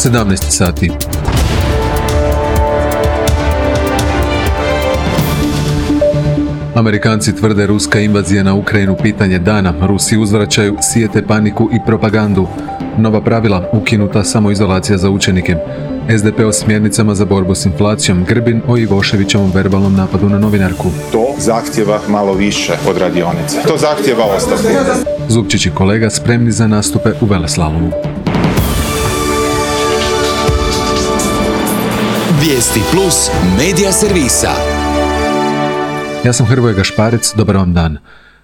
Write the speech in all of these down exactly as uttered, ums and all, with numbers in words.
sedamnaest sati. Amerikanci tvrde ruska invazija na Ukrajinu pitanje dana. Rusi uzvraćaju, sijete paniku i propagandu. Nova pravila, ukinuta samoizolacija za učenike. es de pe o smjernicama za borbu s inflacijom. Grbin o Ivoševićevom verbalnom napadu na novinarku. To zahtjeva malo više od radionice. To zahtjeva ostavku. Zupčić i kolega spremni za nastupe u veleslalomu. Vijesti plus medija servisa. Ja sam Hrvoje Gašparec, dobar vam dan.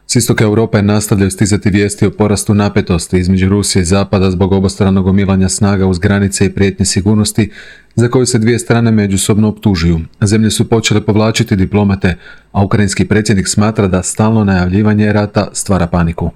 S istoka Europe nastavljaju stizati vijesti o porastu napetosti između Rusije i Zapada zbog obostranog gomilanja snaga uz granice i prijetnje sigurnosti za koju se dvije strane međusobno optužuju. Zemlje su počele povlačiti diplomate, a ukrajinski predsjednik smatra da stalno najavljivanje rata stvara paniku.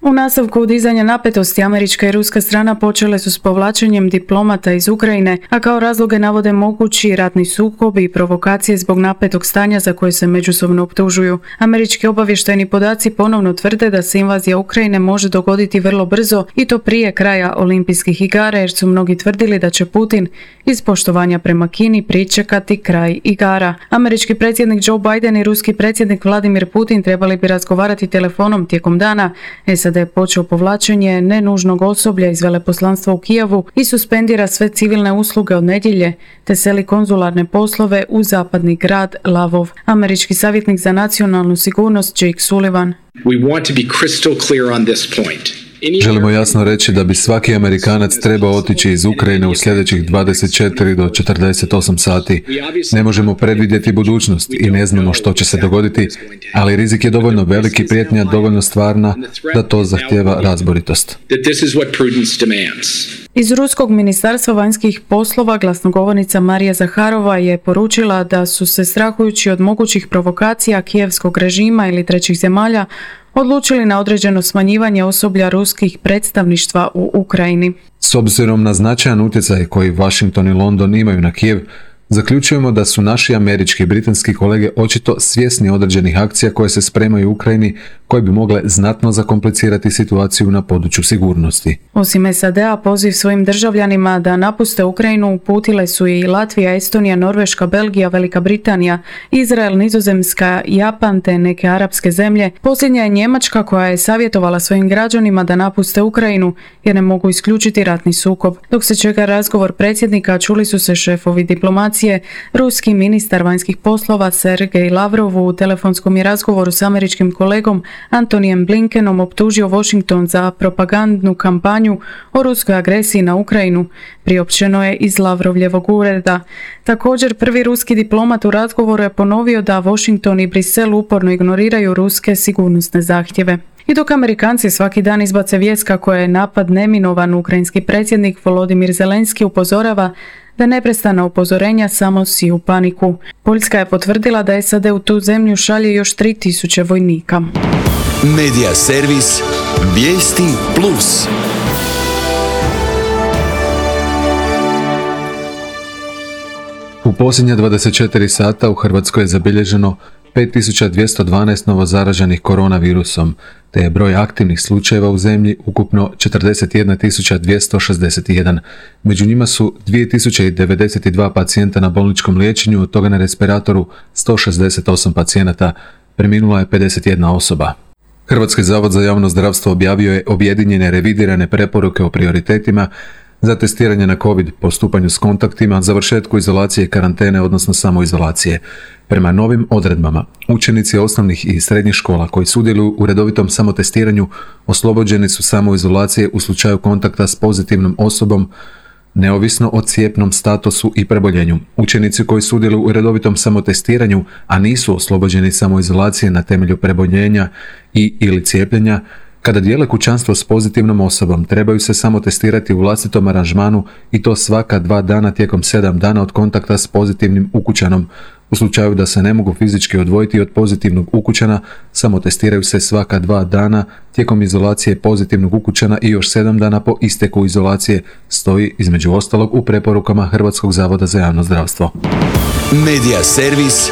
U nastavku dizanja napetosti američka i ruska strana počele su s povlačenjem diplomata iz Ukrajine, a kao razloge navode mogući ratni sukob i provokacije zbog napetog stanja za koje se međusobno optužuju. Američki obavještajni podaci ponovno tvrde da se invazija Ukrajine može dogoditi vrlo brzo i to prije kraja olimpijskih igara, jer su mnogi tvrdili da će Putin iz poštovanja prema Kini pričekati kraj igara. Američki predsjednik Joe Biden i ruski predsjednik Vladimir Putin trebali bi razgovarati telefonom tijekom dana. S A D je počeo povlačenje nenužnog osoblja iz veleposlanstva u Kijevu i suspendira sve civilne usluge od nedjelje, te seli konzularne poslove u zapadni grad Lavov. Američki savjetnik za nacionalnu sigurnost Jake Sullivan. We want to be crystal clear on this point. Želimo jasno reći da bi svaki Amerikanac trebao otići iz Ukrajine u sljedećih dvadeset četiri do četrdeset osam sati. Ne možemo predvidjeti budućnost i ne znamo što će se dogoditi, ali rizik je dovoljno velik i prijetnja dovoljno stvarna da to zahtijeva razboritost. Iz Ruskog ministarstva vanjskih poslova glasnogovornica Marija Zaharova je poručila da su se, strahujući od mogućih provokacija kijevskog režima ili trećih zemalja, odlučili na određeno smanjivanje osoblja ruskih predstavništva u Ukrajini. S obzirom na značajan utjecaj koji Washington i London imaju na Kijev, zaključujemo da su naši američki i britanski kolege očito svjesni određenih akcija koje se spremaju u Ukrajini, koje bi mogle znatno zakomplicirati situaciju na području sigurnosti. Osim S A D-a, poziv svojim državljanima da napuste Ukrajinu uputile su i Latvija, Estonija, Norveška, Belgija, Velika Britanija, Izrael, Nizozemska, Japan te neke arapske zemlje. Posljednja je Njemačka koja je savjetovala svojim građanima da napuste Ukrajinu jer ne mogu isključiti ratni sukob. Dok se čeka razgovor predsjednika, čuli su se šefovi diplomacije. Ruski ministar vanjskih poslova Sergej Lavrov u telefonskom je razgovoru s američkim kolegom Antonijem Blinkenom optužio Washington za propagandnu kampanju o ruskoj agresiji na Ukrajinu, priopćeno je iz Lavrovljevog ureda. Također, prvi ruski diplomat u razgovoru je ponovio da Washington i Brisel uporno ignoriraju ruske sigurnosne zahtjeve. I dok Amerikanci svaki dan izbace vijest kako je napad neminovan, ukrajinski predsjednik Volodimir Zelenski upozorava da neprestana upozorenja samo siju paniku. Poljska je potvrdila da S A D u tu zemlju šalje još tri tisuće vojnika. Medija servis Vijesti plus. U posljednja dvadeset četiri sata u Hrvatskoj je zabilježeno pet tisuća dvjesto dvanaest novozaraženih koronavirusom, te je broj aktivnih slučajeva u zemlji ukupno četrdeset jedna tisuća dvjesto šezdeset jedan. Među njima su dvije tisuće devedeset dva pacijenta na bolničkom liječenju, od toga na respiratoru sto šezdeset osam pacijenata, preminula je pedeset jedna osoba. Hrvatski zavod za javno zdravstvo objavio je objedinjene revidirane preporuke o prioritetima za testiranje na COVID, postupanju s kontaktima, završetku izolacije i karantene, odnosno samoizolacije. Prema novim odredbama, učenici osnovnih i srednjih škola koji sudjeluju u redovitom samotestiranju oslobođeni su samoizolacije u slučaju kontakta s pozitivnom osobom, neovisno o cijepnom statusu i preboljenju. Učenici koji sudjeluju u redovitom samotestiranju, a nisu oslobođeni samoizolacije na temelju preboljenja i ili cijepljenja, kada dijele kućanstvo s pozitivnom osobom, trebaju se samo testirati u vlastitom aranžmanu i to svaka dva dana tijekom sedam dana od kontakta s pozitivnim ukućanom. U slučaju da se ne mogu fizički odvojiti od pozitivnog ukućana, samo testiraju se svaka dva dana tijekom izolacije pozitivnog ukućana i još sedam dana po isteku izolacije, stoji između ostalog u preporukama Hrvatskog zavoda za javno zdravstvo. Medija servis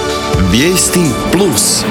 Vijesti plus.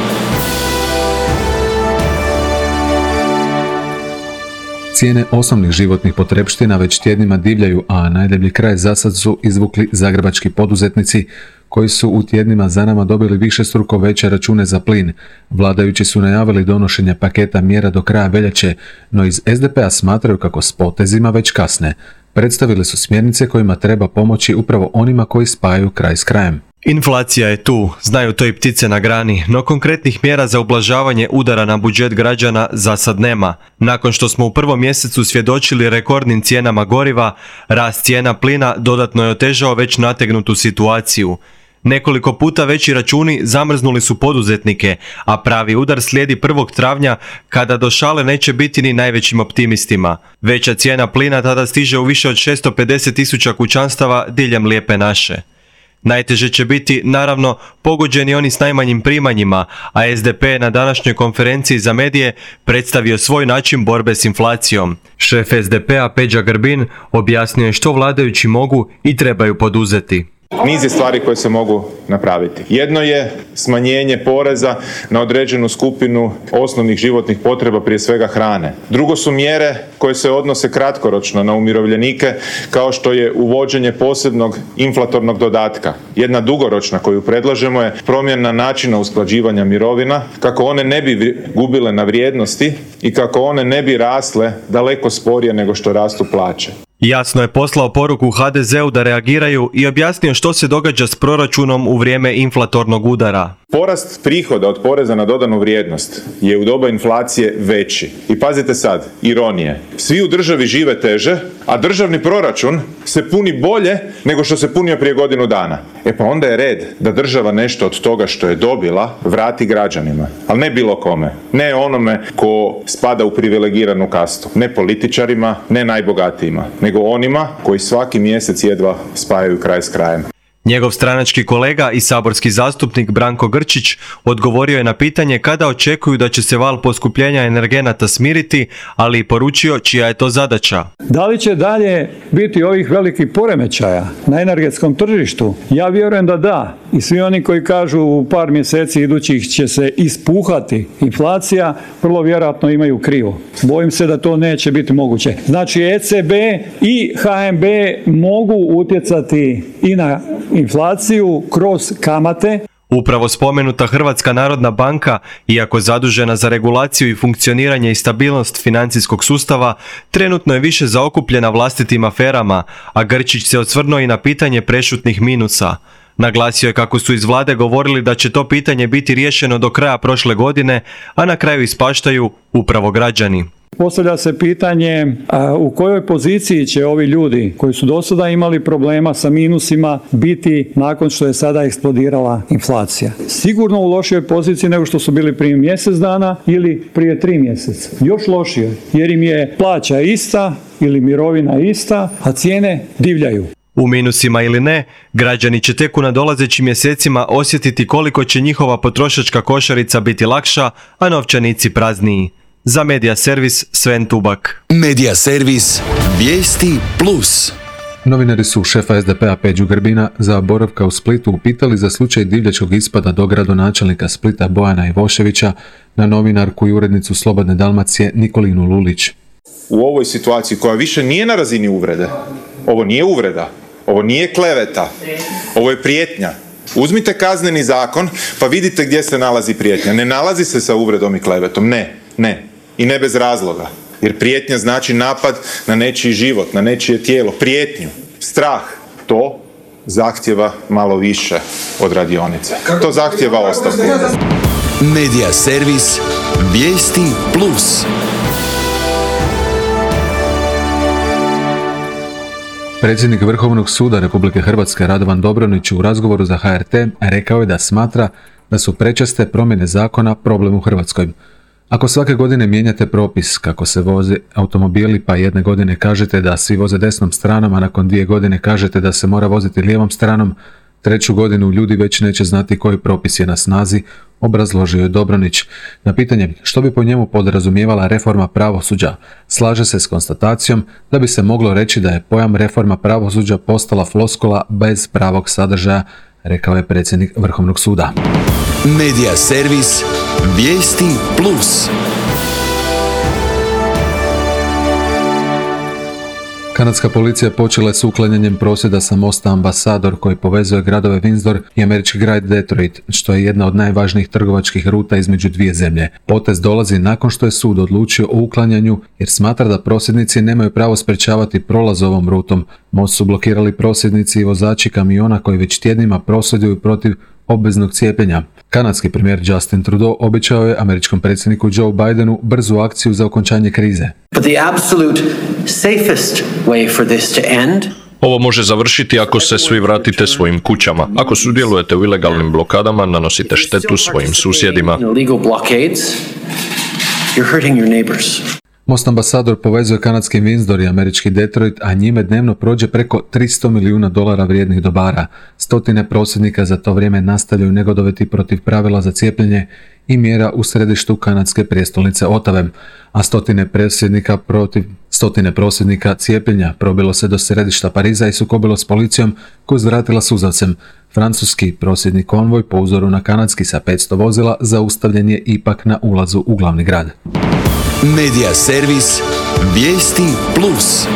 Cijene osnovnih životnih potrepština već tjednima divljaju, a najdeblji kraj zasad su izvukli zagrebački poduzetnici koji su u tjednima za nama dobili višestruko veće račune za plin. Vladajući su najavili donošenje paketa mjera do kraja veljače, no iz es de pe-a smatraju kako s potezima već kasne. Predstavili su smjernice kojima treba pomoći upravo onima koji spajaju kraj s krajem. Inflacija je tu, znaju to i ptice na grani, no konkretnih mjera za ublažavanje udara na budžet građana za sad nema. Nakon što smo u prvom mjesecu svjedočili rekordnim cijenama goriva, rast cijena plina dodatno je otežao već nategnutu situaciju. Nekoliko puta veći računi zamrznuli su poduzetnike, a pravi udar slijedi prvog travnja kada do šale neće biti ni najvećim optimistima. Veća cijena plina tada stiže u više od šesto pedeset tisuća kućanstava diljem Lijepe naše. Najteže će biti, naravno, pogođeni oni s najmanjim primanjima, a es de pe je na današnjoj konferenciji za medije predstavio svoj način borbe s inflacijom. Šef es de pe-a Peđa Grbin objasnio je što vladajući mogu i trebaju poduzeti. Niz je stvari koje se mogu napraviti. Jedno je smanjenje poreza na određenu skupinu osnovnih životnih potreba, prije svega hrane. Drugo su mjere koje se odnose kratkoročno na umirovljenike, kao što je uvođenje posebnog inflatornog dodatka. Jedna dugoročna koju predlažemo je promjena načina usklađivanja mirovina, kako one ne bi gubile na vrijednosti i kako one ne bi rasle daleko sporije nego što rastu plaće. Jasno je poslao poruku ha de ze-u da reagiraju i objasnio što se događa s proračunom u vrijeme inflatornog udara. Porast prihoda od poreza na dodanu vrijednost je u doba inflacije veći. I pazite sad, ironije. Svi u državi žive teže, a državni proračun se puni bolje nego što se punio prije godinu dana. E pa onda je red da država nešto od toga što je dobila vrati građanima. Ali ne bilo kome. Ne onome ko spada u privilegiranu kastu. Ne političarima, ne najbogatijima. Nego onima koji svaki mjesec jedva spajaju kraj s krajem. Njegov stranački kolega i saborski zastupnik Branko Grčić odgovorio je na pitanje kada očekuju da će se val poskupljenja energenata smiriti, ali i poručio čija je to zadaća. Da li će dalje biti ovih velikih poremećaja na energetskom tržištu? Ja vjerujem da da. I svi oni koji kažu u par mjeseci idućih će se ispuhati inflacija, vrlo vjerojatno imaju krivo. Bojim se da to neće biti moguće. Znači e ce be i ha em be mogu utjecati i na inflaciju kroz kamate. Upravo spomenuta Hrvatska narodna banka, iako zadužena za regulaciju i funkcioniranje i stabilnost financijskog sustava, trenutno je više zaokupljena vlastitim aferama, a Grčić se osvrnuo i na pitanje prešutnih minusa. Naglasio je kako su iz vlade govorili da će to pitanje biti riješeno do kraja prošle godine, a na kraju ispaštaju upravo građani. Postavlja se pitanje a, u kojoj poziciji će ovi ljudi koji su do sada imali problema sa minusima biti nakon što je sada eksplodirala inflacija. Sigurno u lošijoj poziciji nego što su bili prije mjesec dana ili prije tri mjeseca. Još lošije, jer im je plaća ista ili mirovina ista, a cijene divljaju. U minusima ili ne, građani će tek u nadolazećim mjesecima osjetiti koliko će njihova potrošačka košarica biti lakša, a novčanici prazniji. Za Medija servis Sven Tubak. Medija servis Vijesti plus. Novinari su šefa es de pe-a Peđu Grbina za boravka u Splitu upitali za slučaj divljačkog ispada do gradonačelnika Splita Bojana Ivoševića na novinarku i urednicu Slobodne Dalmacije Nikolinu Lulić. U ovoj situaciji koja više nije na razini uvrede, ovo nije uvreda, ovo nije kleveta, ovo je prijetnja. Uzmite kazneni zakon pa vidite gdje se nalazi prijetnja. Ne nalazi se sa uvredom i klevetom, ne, ne. I ne bez razloga. Jer prijetnja znači napad na nečiji život, na nečije tijelo. Prijetnju, strah, to zahtjeva malo više od radionice. To zahtjeva ostavku. Medija servis Vijesti plus. Predsjednik Vrhovnog suda Republike Hrvatske Radovan Dobronić u razgovoru za ha er te rekao je da smatra da su prečeste promjene zakona problem u Hrvatskoj. Ako svake godine mijenjate propis kako se voze automobili, pa jedne godine kažete da svi voze desnom stranom, a nakon dvije godine kažete da se mora voziti lijevom stranom, treću godinu ljudi već neće znati koji propis je na snazi, obrazložio je Dobronić. Na pitanje što bi po njemu podrazumijevala reforma pravosuđa, slaže se s konstatacijom da bi se moglo reći da je pojam reforma pravosuđa postala floskula bez pravog sadržaja, rekao je predsjednik Vrhovnog suda. Medija servis Vijesti plus. Kanadska policija počela je s uklanjanjem prosvjeda sa mosta Ambasador koji povezuje gradove Windsor i američki grad Detroit, što je jedna od najvažnijih trgovačkih ruta između dvije zemlje. Potez dolazi nakon što je sud odlučio o uklanjanju jer smatra da prosvjednici nemaju pravo sprečavati prolaz ovom rutom. Most su blokirali prosvjednici i vozači kamiona koji već tjednima prosvjeduju protiv obveznog cijepljenja. Kanadski premijer Justin Trudeau obećao je američkom predsjedniku Joe Bidenu brzu akciju za okončanje krize. But the absolute safest way for this to end Ovo može završiti ako se svi vratite svojim kućama. Ako sudjelujete u ilegalnim blokadama, nanosite štetu svojim susjedima. Most Ambasador povezuje kanadski Windsor i američki Detroit, a njime dnevno prođe preko tristo milijuna dolara vrijednih dobara. Stotine prosvjednika za to vrijeme nastavljaju negodovati protiv pravila za cijepljenje i mjera u središtu kanadske prijestolnice Otave, a stotine prosvjednika protiv stotine prosvjednika cijepljenja probilo se do središta Pariza i sukobilo s policijom koju zvratila suzavcem. Francuski prosvjedni konvoj po uzoru na kanadski sa petsto vozila zaustavljen je ipak na ulazu u glavni grad. Medija servis Vijesti Plus.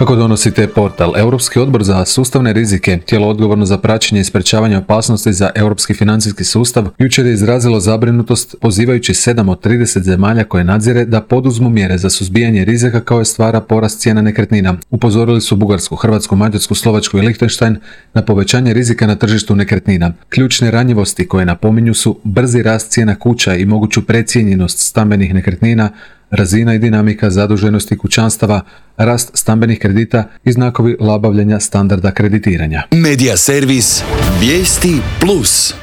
Kako donosite portal? Europski odbor za sustavne rizike, tijelo odgovorno za praćenje i sprečavanje opasnosti za europski financijski sustav, jučer je izrazilo zabrinutost pozivajući sedam od trideset zemalja koje nadzire da poduzmu mjere za suzbijanje rizika kao je stvara porast cijena nekretnina. Upozorili su Bugarsku, Hrvatsku, Mađarsku, Slovačku i Lichtenstein na povećanje rizika na tržištu nekretnina. Ključne ranjivosti koje napominju su brzi rast cijena kuća i moguću precijenjenost stambenih nekretnina, razina i dinamika zaduženosti kućanstava, rast stambenih kredita i znakovi labavljenja standarda kreditiranja. Medija servis Vijesti Plus.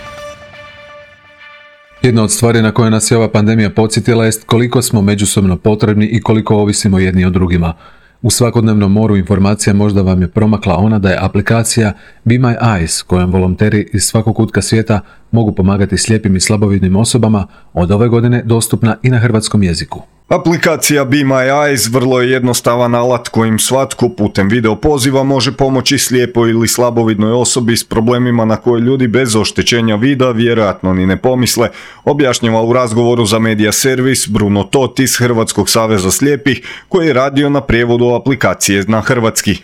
Jedna od stvari na koje nas je ova pandemija podsjetila jest koliko smo međusobno potrebni i koliko ovisimo jedni od drugima. U svakodnevnom moru informacija možda vam je promakla ona da je aplikacija Be My Eyes, kojom volonteri iz svakog kutka svijeta mogu pomagati slijepim i slabovidnim osobama, od ove godine dostupna i na hrvatskom jeziku. Aplikacija Be My Eyes vrlo je jednostavan alat kojim svatko putem video poziva može pomoći slijepoj ili slabovidnoj osobi s problemima na koje ljudi bez oštećenja vida vjerojatno ni ne pomisle, objašnjava u razgovoru za Medija servis Bruno Tot iz Hrvatskog saveza slijepih koji je radio na prijevodu aplikacije na hrvatski.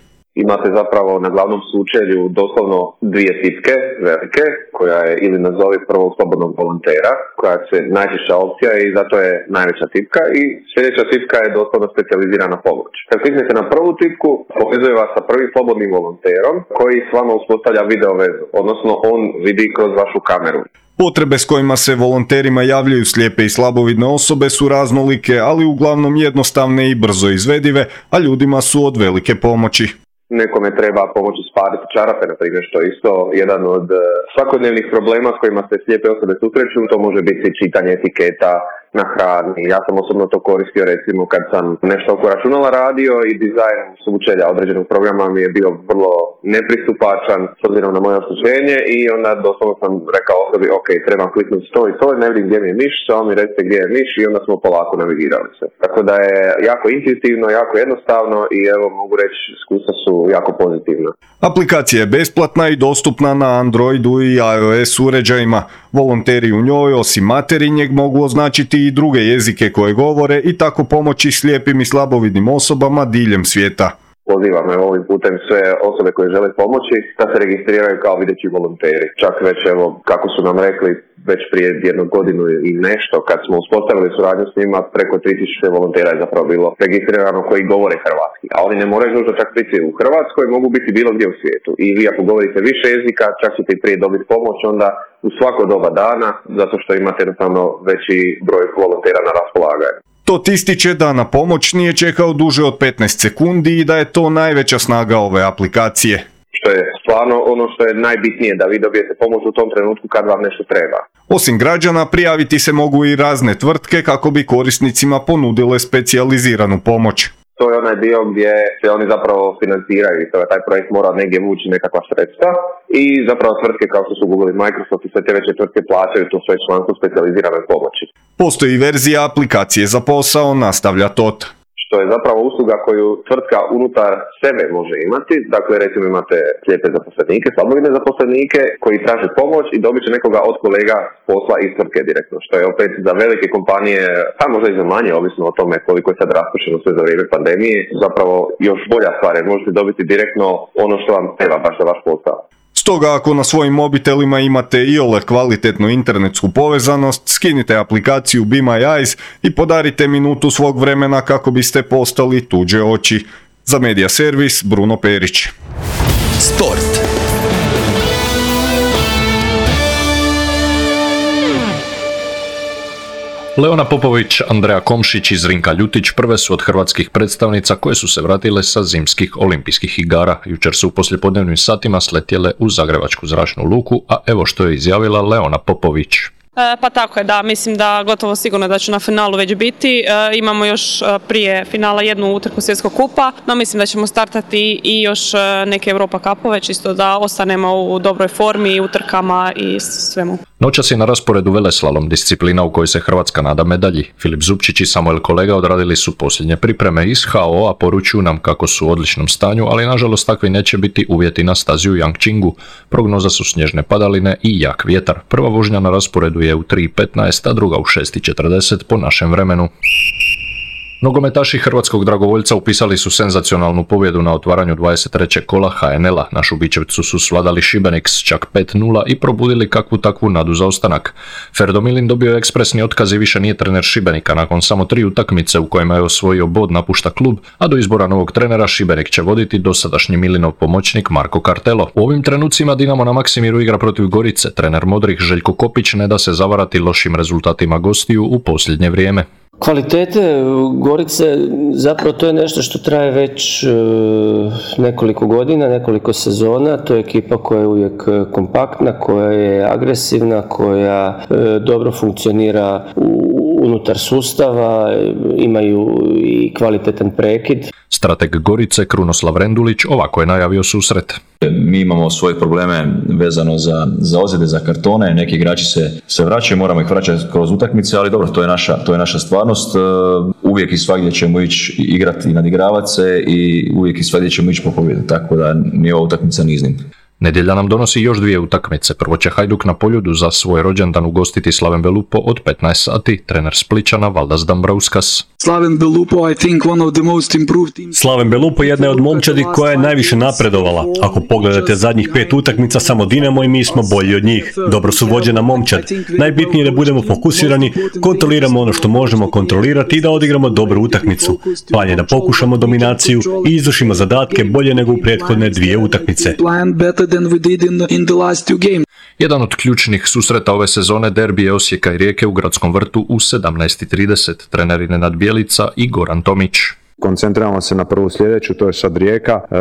Imate zapravo na glavnom sučelju doslovno dvije tipke, velike, koja je ili nazovi prvog slobodnog volontera, koja je najčešća opcija i zato je najveća tipka, i sljedeća tipka je doslovno specijalizirana pomoć. Kad kliknete na prvu tipku, povezuje vas sa prvim slobodnim volonterom koji s vama uspostavlja video vezu, odnosno on vidi kroz vašu kameru. Potrebe s kojima se volonterima javljaju slijepe i slabovidne osobe su raznolike, ali uglavnom jednostavne i brzo izvedive, a ljudima su od velike pomoći. Nekome treba pomoći spaliti čarape, na primjer, što je isto jedan od svakodnevnih problema s kojima se slijepe osobe susreću. To može biti čitanje etiketa na hrani. Ja sam osobno to koristio recimo kad sam nešto oko računala radio i dizajn sučelja određenog programa mi je bio vrlo nepristupačan s obzirom na moje oštećenje i onda doslovno sam rekao osobi ok, trebam kliknuti to i to, ne vidim gdje mi je miš, samo mi recite gdje je miš i onda smo polako navigirali se. Tako da je jako intuitivno, jako jednostavno i evo mogu reći iskustva su jako pozitivna. Aplikacija je besplatna i dostupna na Androidu i iOS uređajima. Volonteri u njoj osim materinjeg mogu označiti i druge jezike koje govore i tako pomoći slijepim i slabovidnim osobama diljem svijeta. Pozivam evo ovim putem sve osobe koje žele pomoći da se registriraju kao videći volonteri. Čak već evo kako su nam rekli već prije jednu godinu i nešto kad smo uspostavili suradnju s njima preko tri tisuće volontera je zapravo bilo registrirano koji govore hrvatski. A oni ne moraju nužno čak biti u Hrvatskoj, mogu biti bilo gdje u svijetu. I vi ako govorite više jezika čak ćete i prije dobiti pomoć onda u svako doba dana zato što imate jednostavno veći broj volontera na raspolaganju. Tot ističe da na pomoć nije čekao duže od petnaest sekundi i da je to najveća snaga ove aplikacije. Što je stvarno ono što je najbitnije, da vi dobijete pomoć u tom trenutku kad vam nešto treba. Osim građana, prijaviti se mogu i razne tvrtke kako bi korisnicima ponudile specijaliziranu pomoć. To je onaj dio gdje se oni zapravo financiraju i taj projekt mora negdje vući nekakva sredstva i zapravo tvrtke kao što su Google i Microsoft i sve te veće tvrtke plaćaju to svoje članstvo specijalizirane pomoći. Postoji verzija aplikacije za posao, nastavlja Tot. Što što je zapravo usluga koju tvrtka unutar sebe može imati. Dakle, recimo imate slijepe zaposlenike, slabovidne zaposlenike koji traže pomoć i dobit će nekoga od kolega s posla iz tvrtke direktno, što je opet za velike kompanije, a možda i za manje, ovisno o tome koliko je sad raspušteno sve za vrijeme pandemije, zapravo još bolja stvar jer možete dobiti direktno ono što vam treba baš za vaš posao. Stoga ako na svojim mobitelima imate iole kvalitetnu internetsku povezanost, skinite aplikaciju Be My Eyes i podarite minutu svog vremena kako biste postali tuđe oči. Za Media Servis, Bruno Perić. Sport. Leona Popović, Andreja Komšić i Zrinka Ljutić prve su od hrvatskih predstavnica koje su se vratile sa zimskih olimpijskih igara. Jučer su u poslijepodnevnim satima sletjele u Zagrebačku zračnu luku, a evo što je izjavila Leona Popović. E, pa tako je, da, mislim da gotovo sigurno da ću na finalu već biti. E, imamo još prije finala jednu utrku svjetskog kupa, no mislim da ćemo startati i još neke Europa kapove, čisto da ostanemo u dobroj formi, utrkama i svemu. Noćas je na rasporedu veleslalom, disciplina u kojoj se Hrvatska nada medalji. Filip Zupčić i Samuel Kolega odradili su posljednje pripreme iz H O A, poručuju nam kako su u odličnom stanju, ali nažalost takvi neće biti uvjeti na stazi u Yangchingu. Prognoza su snježne padaline i jak vjetar. Prva vožnja na rasporedu je u tri petnaest, a druga u šest četrdeset po našem vremenu. Nogometaši hrvatskog dragovoljca upisali su senzacionalnu pobjedu na otvaranju dvadeset trećeg kola H N L-a. Na Šubićevcu su svladali Šibenik s čak pet nula i probudili kakvu takvu nadu za ostanak. Ferdo Milin dobio je ekspresni otkaz i više nije trener Šibenika. Nakon samo tri utakmice u kojima je osvojio bod napušta klub, a do izbora novog trenera Šibenik će voditi dosadašnji Milinov pomoćnik Marko Kartelo. U ovim trenucima Dinamo na Maksimiru igra protiv Gorice. Trener Modrih Željko Kopić ne da se zavarati lošim rezultatima gostiju u posljednje vrijeme. Kvalitete Gorice, zapravo to je nešto što traje već nekoliko godina, nekoliko sezona. To je ekipa koja je uvijek kompaktna, koja je agresivna, koja dobro funkcionira unutar sustava, imaju i kvalitetan prekid. Strateg Gorice Krunoslav Rendulić ovako je najavio susret. Mi imamo svoje probleme vezano za, za ozljede, za kartone, neki igrači se, se vraćaju, moramo ih vraćati kroz utakmice, ali dobro, to je naša, to je naša stvarnost. Uvijek i svagdje ćemo ići igrati i nadigravati se i uvijek i svagdje ćemo ići po pobjedu, tako da nije ova utakmica ni iznimka. Nedjelja nam donosi još dvije utakmice. Prvo će Hajduk na Poljudu za svoj rođendan ugostiti Slaven Belupo od petnaest sati. Trener Splićana Valdas Dambrauskas. Slaven Belupo, I think one of the most improved teams. Slaven Belupo jedna je od momčadi koja je najviše napredovala. Ako pogledate zadnjih pet utakmica, samo Dinamo i mi smo bolji od njih. Dobro su vođena momčad. Najbitnije je da budemo fokusirani, kontroliramo ono što možemo kontrolirati i da odigramo dobru utakmicu. Plan je da pokušamo dominaciju i izvršimo zadatke bolje nego u prethodne dvije utakmice. Than we did in the, in the last two games. Jedan od ključnih susreta ove sezone derbi je Osijeka i Rijeke u Gradskom vrtu u sedamnaest trideset. Treneri Nenad Bjelica i Goran Tomić. Koncentriramo se na prvu sljedeću, to je sad Rijeka, e,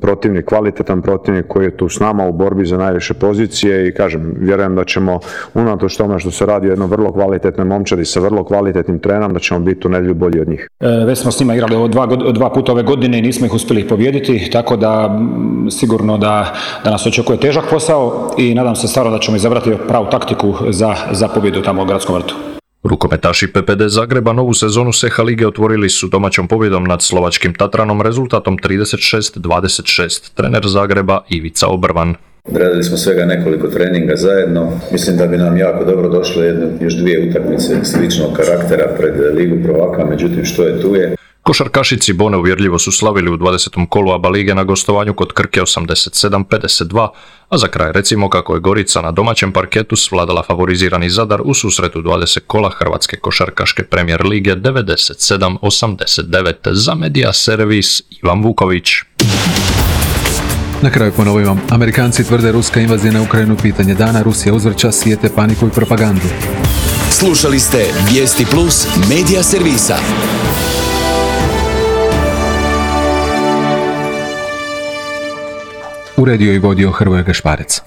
protivnik, kvalitetan protivnik koji je tu s nama u borbi za najviše pozicije i kažem, vjerujem da ćemo unatoč tome što se radi o jednom vrlo kvalitetnoj momčadi sa vrlo kvalitetnim trenerom, da ćemo biti u nedjelju bolji od njih. E, već smo s njima igrali dva, dva puta ove godine i nismo ih uspjeli pobijediti, tako da sigurno da, da nas očekuje težak posao i nadam se stvarno da ćemo izabrati pravu taktiku za, za pobjedu tamo u Gradskom vrtu. Rukometaši P P D Zagreba novu sezonu S E H A lige otvorili su domaćom pobjedom nad slovačkim Tatranom rezultatom trideset šest dvadeset šest. Trener Zagreba Ivica Obrvan. Odradili smo svega nekoliko treninga zajedno. Mislim da bi nam jako dobro došlo jedno, još dvije utakmice sličnog karaktera pred Ligu prvaka, međutim što je tu je. Košarkašici Bone uvjerljivo su slavili u dvadesetom kolu A B A lige na gostovanju kod Krke osamdeset sedam pedeset dva, a za kraj recimo kako je Gorica na domaćem parketu svladala favorizirani Zadar u susretu dvadeset kola Hrvatske košarkaške premijer lige devedeset sedam osamdeset devet. Za Media Servis Ivan Vuković. Na kraju ponovimo, Amerikanci tvrde ruska invazija na Ukrajinu pitanje dana, Rusija uzvrća, sijete paniku i propagandu. Slušali ste Vijesti Plus Media Servisa. Uredio i vodio Hrvoje Gašparec.